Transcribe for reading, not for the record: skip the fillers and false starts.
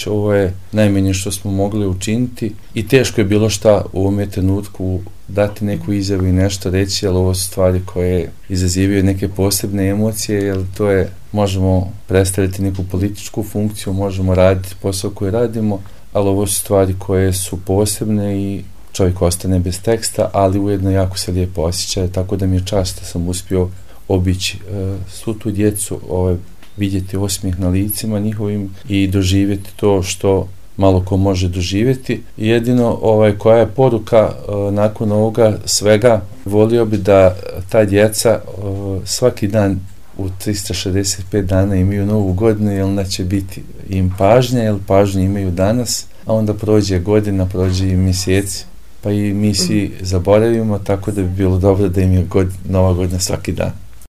reći, ovo je najmanje što smo mogli učiniti i teško je bilo šta u ovome trenutku dati neku izjavu i nešto reći, jer ovo su stvari koje izazivaju neke posebne emocije, jer to je, možemo predstaviti neku političku funkciju, možemo raditi posao koji radimo, ali ovo su stvari koje su posebne i čovjek ostane bez teksta, ali ujedno jako se lijepo osjeća, tako da mi je čast da sam uspio obići svu tu djecu, vidjeti osmijeh na licima njihovim i doživjeti to što malo ko može doživjeti. Jedino koja je poruka nakon ovoga svega, volio bi da ta djeca svaki dan u 365 dana imaju novu godinu, jer onda će biti im pažnja, jer pažnju imaju danas, a onda prođe godina, prođe i mjeseci, pa i mi svi zaboravimo, tako da bi bilo dobro da im je nova godina svaki dan.